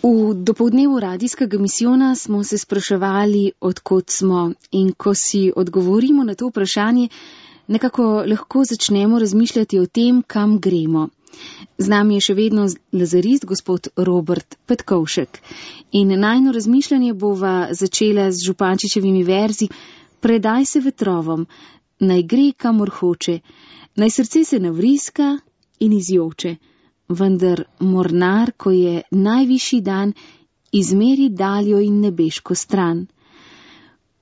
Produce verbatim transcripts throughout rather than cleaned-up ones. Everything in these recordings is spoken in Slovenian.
V dopoldnevu radijskega misijona smo se spraševali, odkot smo, in ko si odgovorimo na to vprašanje, nekako lahko začnemo razmišljati o tem, kam gremo. Z nami je še vedno lazarist, gospod Robert Petkovšek. In najno razmišljanje bova začela z Župančičevimi verzi: Predaj se vetrovom, naj gre, kamor hoče, naj srce se navriska in izjoče. Vendar mornar, ko je najvišji dan, izmeri daljo in nebeško stran.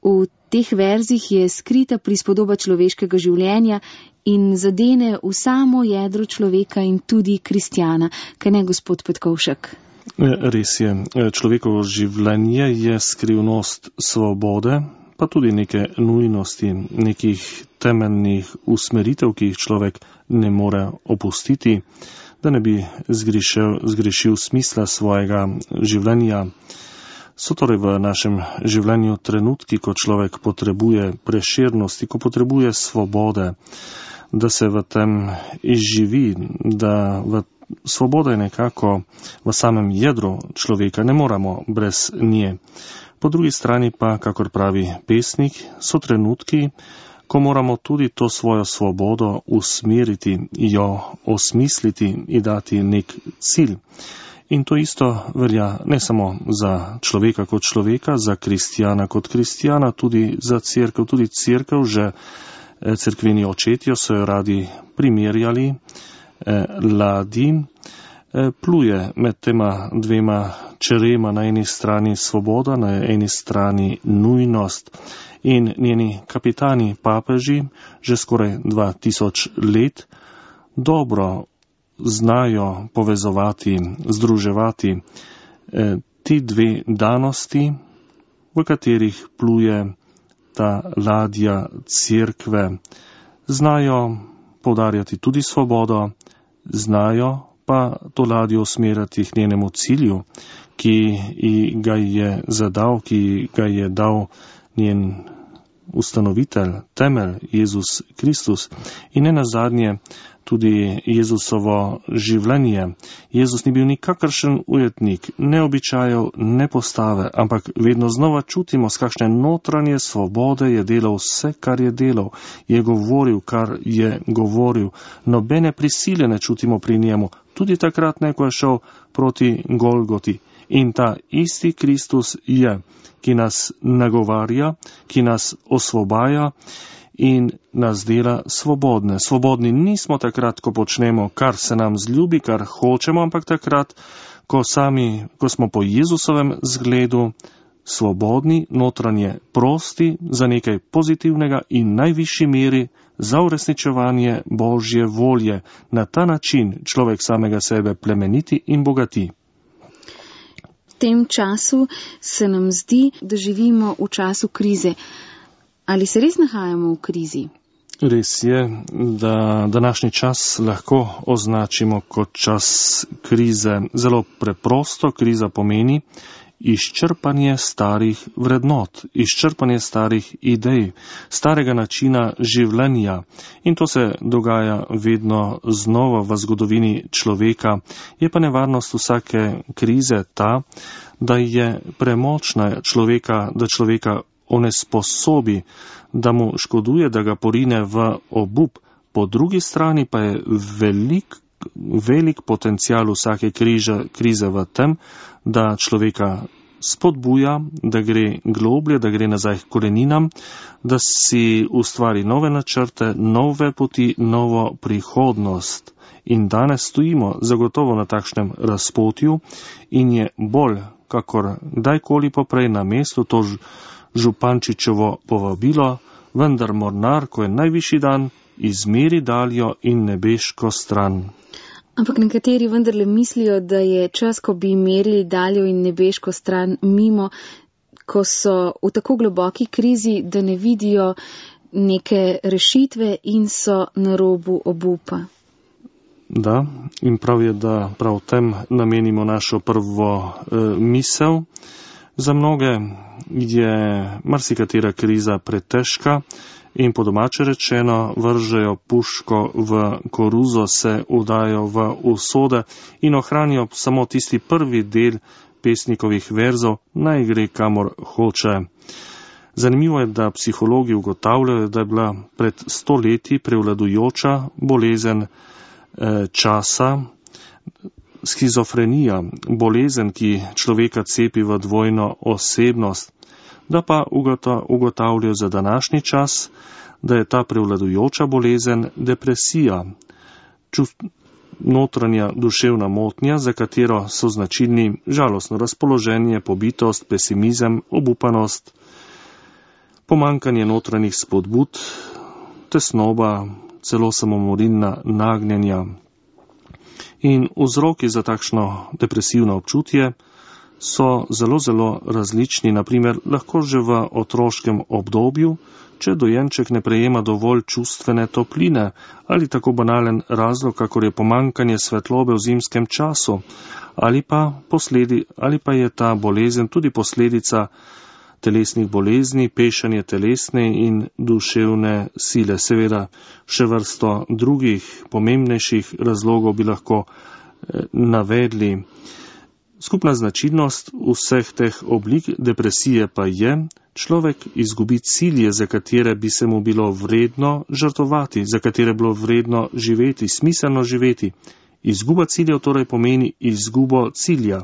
V teh verzih je skrita prispodoba človeškega življenja in zadene v samo jedro človeka in tudi kristjana. Kaj ne, gospod Petkovšek? Res je. Človekovo življenje je skrivnost svobode, pa tudi neke nujnosti, nekih temeljnih usmeritev, ki jih človek ne more opustiti, da ne bi zgrešil, zgrešil smisla svojega življenja. So torej v našem življenju trenutki, ko človek potrebuje preširnosti, ko potrebuje svobode, da se v tem izživi, da v svoboda je nekako v samem jedru človeka, ne moramo brez nje. Po drugi strani pa, kakor pravi pesnik, so trenutki, ko moramo tudi to svojo svobodo usmeriti, jo osmisliti in dati nek cilj. In to isto velja ne samo za človeka kot človeka, za kristjana kot kristjana, tudi za cerkev. Tudi cerkev, že cerkveni očetje so jo radi primerjali, eh, ladi, eh, pluje med tema dvema čerema, na eni strani svoboda, na eni strani nujnost. In njeni kapitani, papeži, že skoraj dva tisoč let dobro znajo povezovati, združevati eh, ti dve danosti, v katerih pluje ta ladja cerkve. Znajo poudarjati tudi svobodo, znajo pa to ladjo usmerjati k njenemu cilju, ki ga je zadal, ki ga je dal njen ustanovitelj, temelj, Jezus Kristus. In ne nazadnje tudi Jezusovo življenje. Jezus ni bil nikakršen ujetnik, ne običajev, ne postave, ampak vedno znova čutimo, s kakšne notranje svobode je delal vse, kar je delal. Je govoril, kar je govoril. Nobene prisile ne čutimo pri njemu. Tudi takrat, ne, ko je šel proti Golgoti. In ta isti Kristus je, ki nas nagovarja, ki nas osvobaja in nas dela svobodne. Svobodni nismo takrat, ko počnemo, kar se nam zljubi, kar hočemo, ampak takrat, ko sami, ko smo po Jezusovem zgledu svobodni, notranje prosti za nekaj pozitivnega in najvišji meri za uresničevanje Božje volje. Na ta način človek samega sebe plemeniti in bogati. V tem času se nam zdi, da živimo v času krize. Ali se res nahajamo v krizi? Res je, da današnji čas lahko označimo kot čas krize. Zelo preprosto, kriza pomeni izčrpanje starih vrednot, izčrpanje starih idej, starega načina življenja. In to se dogaja vedno znova v zgodovini človeka. Je pa nevarnost vsake krize ta, da je premočna človeka, da človeka onesposobi, da mu škoduje, da ga porine v obup. Po drugi strani pa je velik, velik potencial vsake križe, krize v tem, da človeka spodbuja, da gre globlje, da gre nazaj k koreninam, da si ustvari nove načrte, nove poti, novo prihodnost. In danes stojimo zagotovo na takšnem razpotju in je bolj, kakor kdajkoli poprej na mestu to Župančičevo povabilo, vendar mornar, ko je najvišji dan, izmeri daljo in nebeško stran. Ampak nekateri vendarle mislijo, da je čas, ko bi merili daljo in nebeško stran mimo, ko so v tako globoki krizi, da ne vidijo neke rešitve in so na robu obupa. Da, in prav je, da prav tem namenimo našo prvo e, misel. Za mnoge je marsikatera kriza pretežka in po domače rečeno vržejo puško v koruzo, se udajo v usode in ohranijo samo tisti prvi del pesnikovih verzov, naj gre kamor hoče. Zanimivo je, da psihologi ugotavljajo, da je bila pred sto leti prevladujoča bolezen eh, časa skizofrenija, bolezen, ki človeka cepi v dvojno osebnost, da pa ugotavljajo za današnji čas, da je ta prevladujoča bolezen depresija, čust, notranja duševna motnja, za katero so značilni žalostno razpoloženje, pobitost, pesimizem, obupanost, pomankanje notranjih spodbud, tesnoba, celo samomorilna nagnjenja. In vzroki za takšno depresivno občutje so zelo, zelo različni. Naprimer, lahko že v otroškem obdobju, če dojenček ne prejema dovolj čustvene topline, ali tako banalen razlog, kakor je pomankanje svetlobe v zimskem času, ali pa, posledi, ali pa je ta bolezen tudi posledica telesnih bolezni, pešanje telesne in duševne sile. Seveda, še vrsto drugih pomembnejših razlogov bi lahko eh, navedli. Skupna značilnost vseh teh oblik depresije pa je, človek izgubi cilje, za katere bi se mu bilo vredno žrtovati, za katere bilo vredno živeti, smiselno živeti. Izguba ciljev torej pomeni izgubo cilja.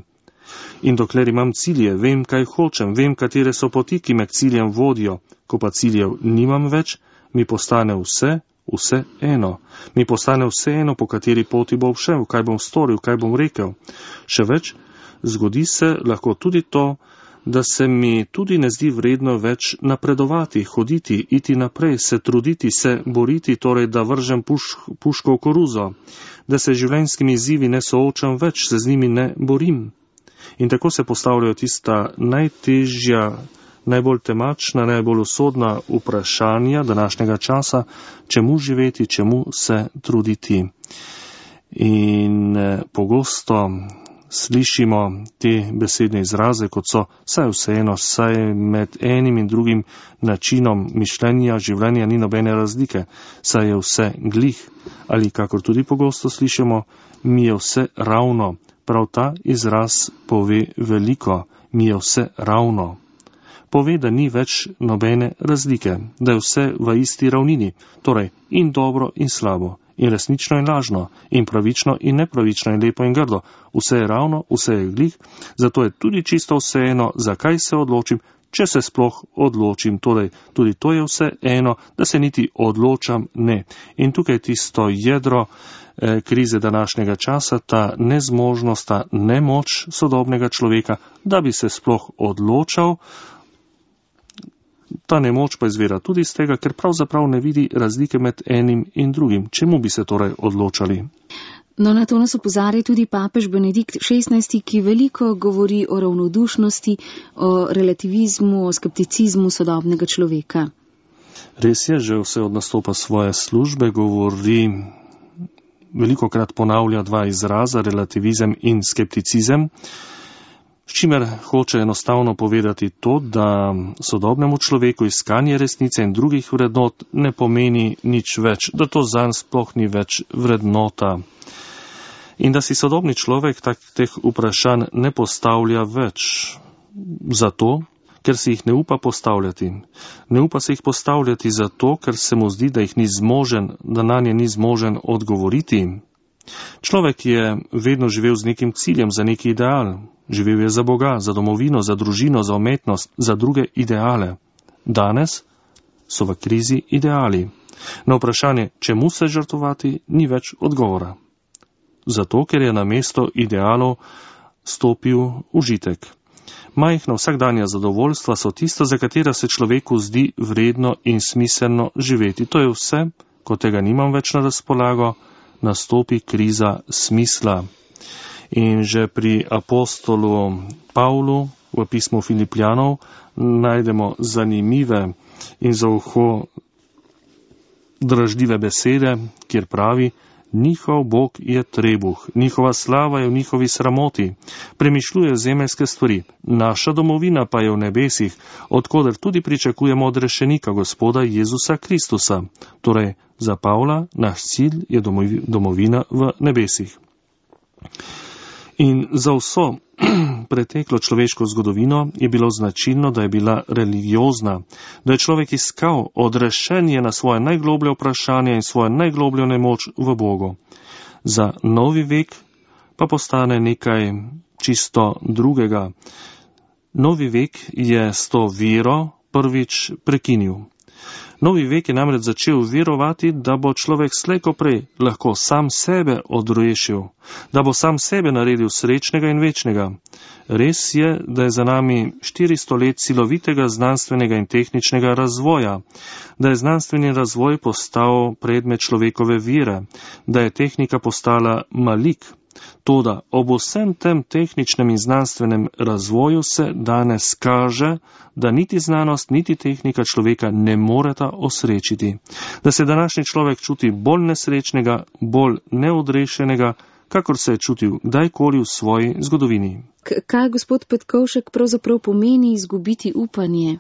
In dokler imam cilje, vem, kaj hočem, vem, katere so poti, ki me k ciljem vodijo. Ko pa ciljev nimam več, mi postane vse, vse eno. Mi postane vse eno, po kateri poti bom šel, kaj bom storil, kaj bom rekel. Še več, zgodi se lahko tudi to, da se mi tudi ne zdi vredno več napredovati, hoditi, iti naprej, se truditi, se boriti, torej da vržem puš, puško v koruzo, da se življenjskimi izzivi ne soočam več, se z njimi ne borim. In tako se postavljajo tista najtežja, najbolj temačna, najbolj usodna vprašanja današnjega časa, čemu živeti, čemu se truditi. In eh, pogosto slišimo te besedne izraze, kot so saj vseeno, saj med enim in drugim načinom mišljenja, življenja ni nobene razlike, saj je vse glih. Ali kakor tudi pogosto slišimo, mi je vse ravno. Prav ta izraz pove veliko, mi je vse ravno. Pove, da ni več nobene razlike, da je vse v isti ravnini, torej in dobro in slabo, in resnično in lažno, in pravično in nepravično, in lepo in grdo. Vse je ravno, vse je glih, zato je tudi čisto vseeno, zakaj se odločim, če se sploh odločim. Torej, tudi to je vse eno, da se niti odločam ne. In tukaj tisto jedro krize današnjega časa, ta nezmožnost, ta nemoč sodobnega človeka, da bi se sploh odločal. Ta nemoč pa izvira tudi iz tega, ker pravzaprav ne vidi razlike med enim in drugim. Čemu bi se torej odločali? No, na to nas opozarja tudi papež Benedikt šestnajsti, ki veliko govori o ravnodušnosti, o relativizmu, o skepticizmu sodobnega človeka. Res je, že vse od nastopa svoje službe govori, veliko krat ponavlja dva izraza, relativizem in skepticizem, s čimer hoče enostavno povedati to, da sodobnemu človeku iskanje resnice in drugih vrednot ne pomeni nič več, da to zanj sploh ni več vrednota. In da si sodobni človek tak teh vprašanj ne postavlja več zato, ker si jih ne upa postavljati. Ne upa se jih postavljati zato, ker se mu zdi, da jih ni zmožen, da nanje ni zmožen odgovoriti. Človek je vedno živel z nekim ciljem, za neki ideal. Živel je za Boga, za domovino, za družino, za umetnost, za druge ideale. Danes so v krizi ideali. Na vprašanje, čemu se žrtvovati, ni več odgovora. Zato, ker je na mesto idealov stopil užitek. Majhna vsakdanja zadovoljstva so tisto, za katera se človeku zdi vredno in smiselno živeti. To je vse, ko tega nimam več na razpolago, nastopi kriza smisla. In že pri apostolu Pavlu v pismu Filipljanov najdemo zanimive in za uho dražljive besede, kjer pravi: Njihov Bog je trebuh, njihova slava je v njihovi sramoti. Premišljuje zemeljske stvari, naša domovina pa je v nebesih, odkoder tudi pričakujemo odrešenika Gospoda Jezusa Kristusa. Torej, za Pavla naš cilj je domovina v nebesih. In za vso preteklo človeško zgodovino je bilo značilno, da je bila religiozna, da je človek iskal odrešenje na svoje najgloblje vprašanje in svojo najglobljo nemoč v Bogu. Za novi vek pa postane nekaj čisto drugega. Novi vek je s to vero prvič prekinil. Novi vek je namreč začel verovati, da bo človek slej ko prej lahko sam sebe odrešil, da bo sam sebe naredil srečnega in večnega. Res je, da je za nami štiristo let silovitega znanstvenega in tehničnega razvoja, da je znanstveni razvoj postal predmet človekove vere, da je tehnika postala malik. Toda ob vsem tem tehničnem in znanstvenem razvoju se danes kaže, da niti znanost, niti tehnika človeka ne moreta osrečiti. Da se današnji človek čuti bolj nesrečnega, bolj neodrešenega, kakor se je čutil kdajkoli v svoji zgodovini. K- kaj, gospod Petkovšek, pravzaprav pomeni izgubiti upanje?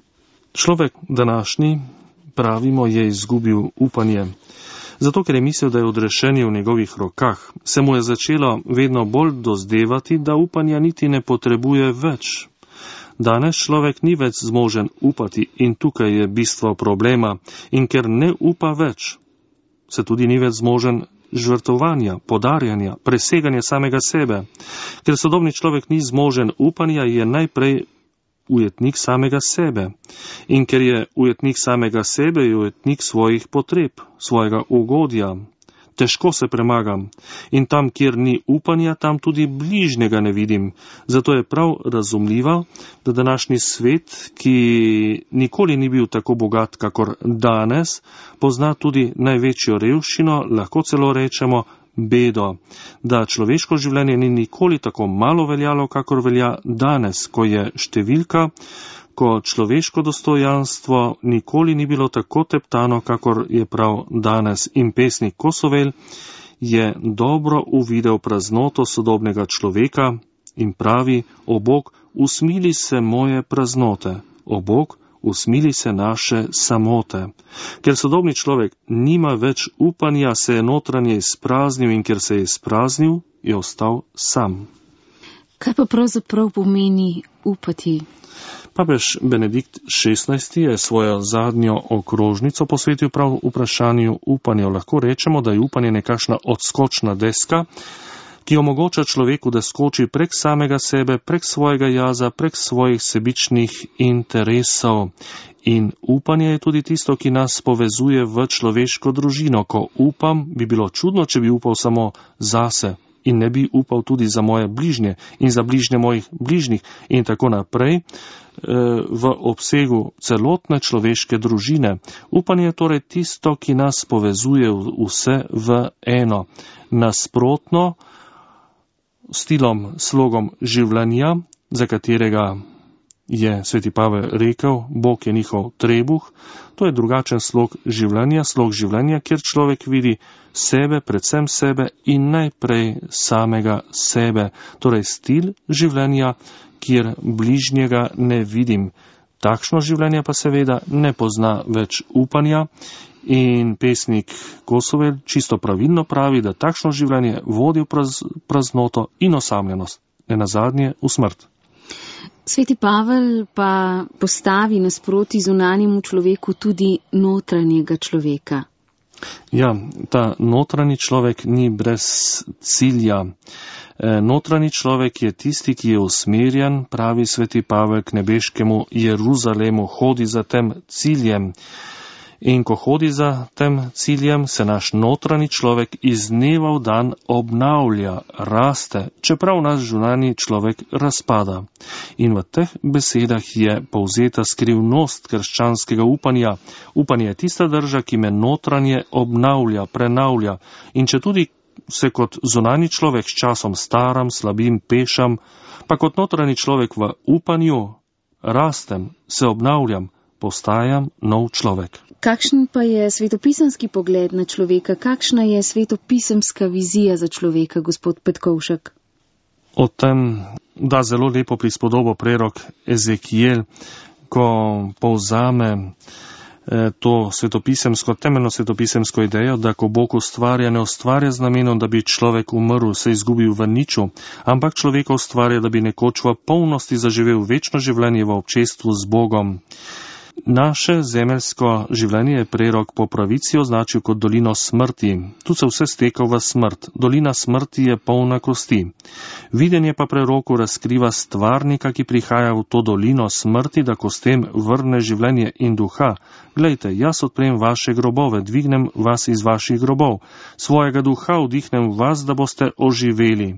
Človek današnji, pravimo, je izgubil upanje. Zato, ker je mislil, da je odrešenje v njegovih rokah, se mu je začelo vedno bolj dozdevati, da upanja niti ne potrebuje več. Danes človek ni več zmožen upati in tukaj je bistvo problema. In ker ne upa več, se tudi ni več zmožen žrtvovanja, podarjanja, preseganja samega sebe. Ker sodobni človek ni zmožen upanja, je najprej ujetnik samega sebe. In ker je ujetnik samega sebe, je ujetnik svojih potreb, svojega ugodja. Težko se premagam. In tam, kjer ni upanja, tam tudi bližnjega ne vidim. Zato je prav razumljivo, da današnji svet, ki nikoli ni bil tako bogat, kakor danes, pozna tudi največjo revščino, lahko celo rečemo bedo, da človeško življenje ni nikoli tako malo veljalo, kakor velja danes, ko je številka, ko človeško dostojanstvo nikoli ni bilo tako teptano, kakor je prav danes. In pesnik Kosovel je dobro uvidel praznoto sodobnega človeka in pravi: O Bog, usmili se moje praznote, o Bog, usmili se naše samote. Ker sodobni človek nima več upanja, se je notranje izpraznil in ker se je izpraznil, je ostal sam. Kaj pa pravzaprav pomeni upati? Papež Benedikt šestnajsti je svojo zadnjo okrožnico posvetil prav vprašanju upanja. Lahko rečemo, da je upanje nekakšna odskočna deska, ki omogoča človeku, da skoči prek samega sebe, prek svojega jaza, prek svojih sebičnih interesov. In upanje je tudi tisto, ki nas povezuje v človeško družino. Ko upam, bi bilo čudno, če bi upal samo zase in ne bi upal tudi za moje bližnje in za bližnje mojih bližnjih in tako naprej v obsegu celotne človeške družine. Upanje je torej tisto, ki nas povezuje vse v eno. Nasprotno stilom, slogom življenja, za katerega je sveti Pavel rekel, Bog je njihov trebuh, to je drugačen slog življenja, slog življenja, kjer človek vidi sebe, predvsem sebe in najprej samega sebe. Torej stil življenja, kjer bližnjega ne vidim. Takšno življenje pa seveda ne pozna več upanja in pesnik Kosovel čisto pravilno pravi, da takšno življenje vodi v praz, praznoto in osamljenost, ne nazadnje v smrt. Sveti Pavel pa postavi nasproti zunanjemu človeku tudi notranjega človeka. Ja, ta notranji človek ni brez cilja. Notranji človek je tisti, ki je usmerjen, pravi sveti Pavel, k nebeškemu Jeruzalemu, hodi za tem ciljem. In ko hodi za tem ciljem, se naš notranji človek iz dneva v dan obnavlja, raste, čeprav naš zunanji človek razpada. In v teh besedah je povzeta skrivnost krščanskega upanja. Upanje je tista drža, ki me notranje obnavlja, prenavlja. In če tudi se kot zunanji človek s časom staram, slabim, pešam, pa kot notranji človek v upanju rastem, se obnavljam, postajam nov človek. Kakšen pa je svetopisemski pogled na človeka? Kakšna je svetopisemska vizija za človeka, gospod Petkovšek? O tem da zelo lepo prispodobo prerok Ezekijel, ko povzame to svetopisemsko, temeljno svetopisemsko idejo, da ko Bog ustvarja, ne ustvarja z namenom, da bi človek umrl, se izgubil v niču, ampak človeka ustvarja, da bi nekoč v polnosti zaživel večno življenje v občestvu z Bogom. Naše zemeljsko življenje je prerok po pravici označil kot dolino smrti. Tu se vse steka v smrt. Dolina smrti je polna kosti. Videnje pa preroku razkriva stvarnika, ki prihaja v to dolino smrti, da kostem vrne življenje in duha. Glejte, jaz odprem vaše grobove, dvignem vas iz vaših grobov. Svojega duha vdihnem v vas, da boste oživeli.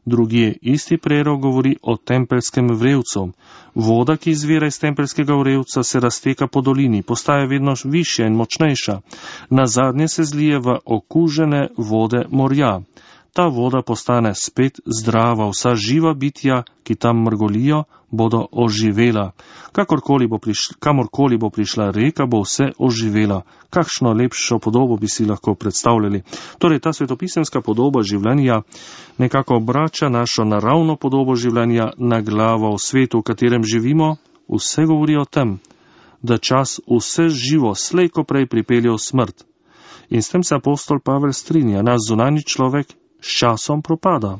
Drugje isti prerok govori o tempeljskem vrevcu. Voda, ki izvira iz tempeljskega vrevca, se razteka po dolini, postaja vedno višja in močnejša. Nazadnje se zlije v okužene vode morja. Ta voda postane spet zdrava, vsa živa bitja, ki tam mrgolijo, bodo oživela. Kakorkoli bo prišla, kamorkoli bo prišla reka, bo vse oživela. Kakšno lepšo podobo bi si lahko predstavljali. Torej, ta svetopisemska podoba življenja nekako obrača našo naravno podobo življenja na glavo. V svetu, v katerem živimo, vse govori o tem, da čas vse živo slejko prej pripelje v smrt. In s tem se apostol Pavel strinja, naš zunanji človek s časom propada.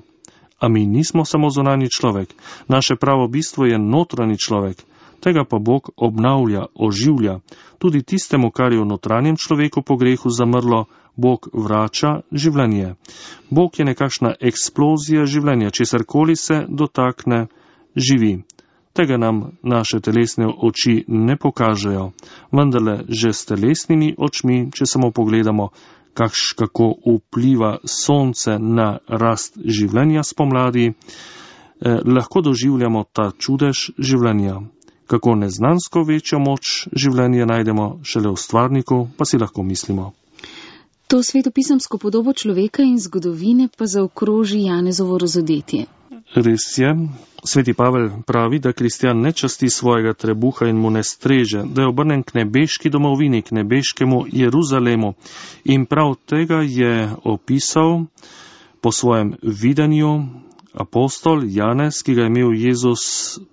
A mi nismo samo zunanji človek. Naše pravo bistvo je notranji človek. Tega pa Bog obnavlja, oživlja. Tudi tistemu, kar je v notranjem človeku po grehu zamrlo, Bog vrača življenje. Bog je nekakšna eksplozija življenja, česarkoli se dotakne, živi. Tega nam naše telesne oči ne pokažejo. Vendarle že s telesnimi očmi, če samo pogledamo, kakš, kako vpliva sonce na rast življenja spomladi, eh, lahko doživljamo ta čudež življenja. Kako neznansko večjo moč življenja najdemo šele v stvarniku, pa si lahko mislimo. To svetopisemsko podobo človeka in zgodovine pa zaokroži Janezovo razodetje. Res je, sveti Pavel pravi, da kristjan ne časti svojega trebuha in mu ne streže, da je obrnen k nebeški domovini, k nebeškemu Jeruzalemu. In prav tega je opisal po svojem videnju apostol Janez, ki ga je imel Jezus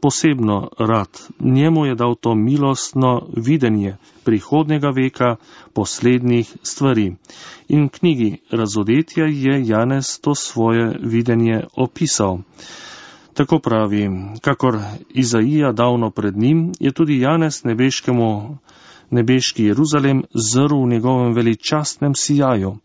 posebno rad. Njemu je dal to milostno videnje prihodnjega veka, poslednjih stvari. In v knjigi Razodetja je Janez to svoje videnje opisal. Tako pravi, kakor Izaija davno pred njim, je tudi Janez nebeškemu, nebeški Jeruzalem zrl v njegovem veličastnem sijaju,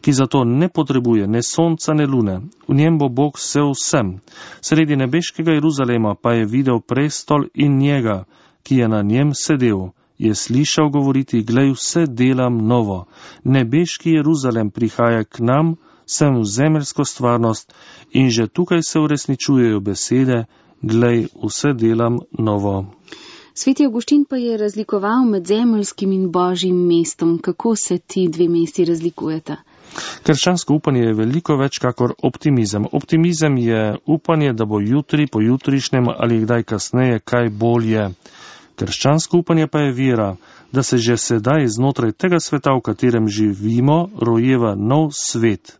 ki zato ne potrebuje ne sonca, ne lune. V njem bo Bog vse vsem. Sredi nebeškega Jeruzalema pa je videl prestol in njega, ki je na njem sedel. Je slišal govoriti, glej, vse delam novo. Nebeški Jeruzalem prihaja k nam, sem v zemeljsko stvarnost in že tukaj se uresničujejo besede, glej, vse delam novo. Sveti Avguštin pa je razlikoval med zemeljskim in božjim mestom. Kako se ti dve mesti razlikujeta? Krščansko upanje je veliko več kakor optimizem. Optimizem je upanje, da bo jutri, pojutrišnjem ali kdaj kasneje kaj bolje. Krščansko upanje pa je vera, da se že sedaj znotraj tega sveta, v katerem živimo, rojeva nov svet.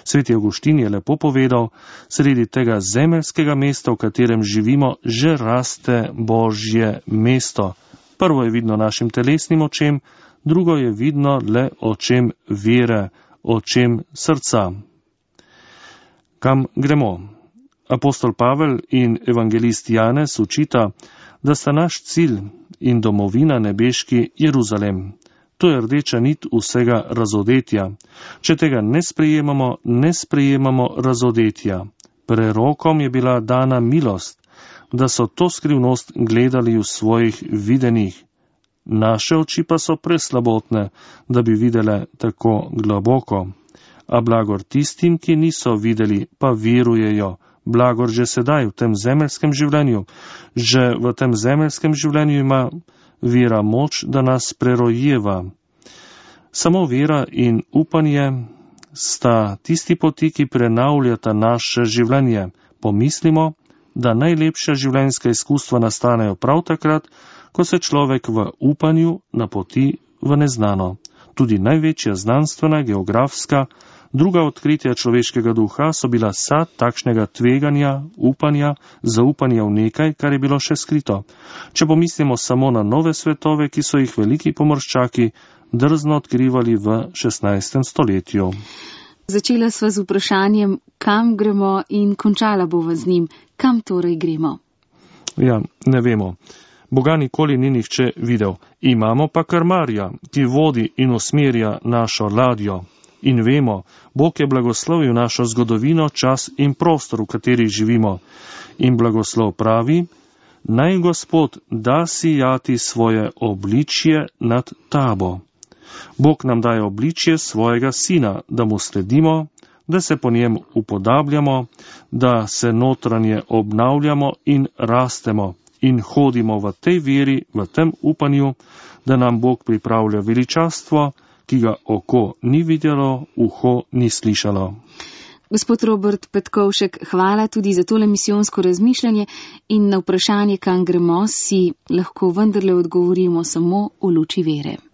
Sveti Avguštin je lepo povedal, sredi tega zemeljskega mesta, v katerem živimo, že raste Božje mesto. Prvo je vidno našim telesnim očem, drugo je vidno le očem vere, očem srca. Kam gremo? Apostol Pavel in evangelist Janez učita, da sta naš cilj in domovina nebeški Jeruzalem. To je rdeča nit vsega razodetja. Če tega ne sprejemamo, ne sprejemamo razodetja. Prerokom je bila dana milost, da so to skrivnost gledali v svojih videnjih. Naše oči pa so preslabotne, da bi videle tako globoko. A blagor tistim, ki niso videli, pa verujejo. Blagor že sedaj v tem zemeljskem življenju. Že v tem zemeljskem življenju ima vera moč, da nas prerojeva. Samo vera in upanje sta tisti poti, ki prenavljata naše življenje. Pomislimo, da najlepša življenjska izkustva nastanejo prav takrat, ko se človek v upanju napoti v neznano. Tudi največja znanstvena, geografska, druga odkritja človeškega duha so bila sad takšnega tveganja, upanja, zaupanja v nekaj, kar je bilo še skrito. Če pomislimo samo na nove svetove, ki so jih veliki pomorščaki drzno odkrivali v šestnajstem stoletju. Začela sva z vprašanjem, kam gremo, in končala bova z njim. Kam torej gremo? Ja, ne vemo. Boga nikoli ni nihče videl. Imamo pa krmarja, ki vodi in usmerja našo ladjo. In vemo, Bog je blagoslovil našo zgodovino, čas in prostor, v kateri živimo. In blagoslov pravi, naj Gospod da sijati svoje obličje nad tabo. Bog nam daje obličje svojega sina, da mu sledimo, da se po njem upodabljamo, da se notranje obnavljamo in rastemo in hodimo v tej veri, v tem upanju, da nam Bog pripravlja veličastvo, ki ga oko ni videlo, uho ni slišalo. Gospod Robert Petkovšek, hvala tudi za tole misijonsko razmišljanje in na vprašanje, kam gremo, si lahko vendarle odgovorimo samo v luči vere.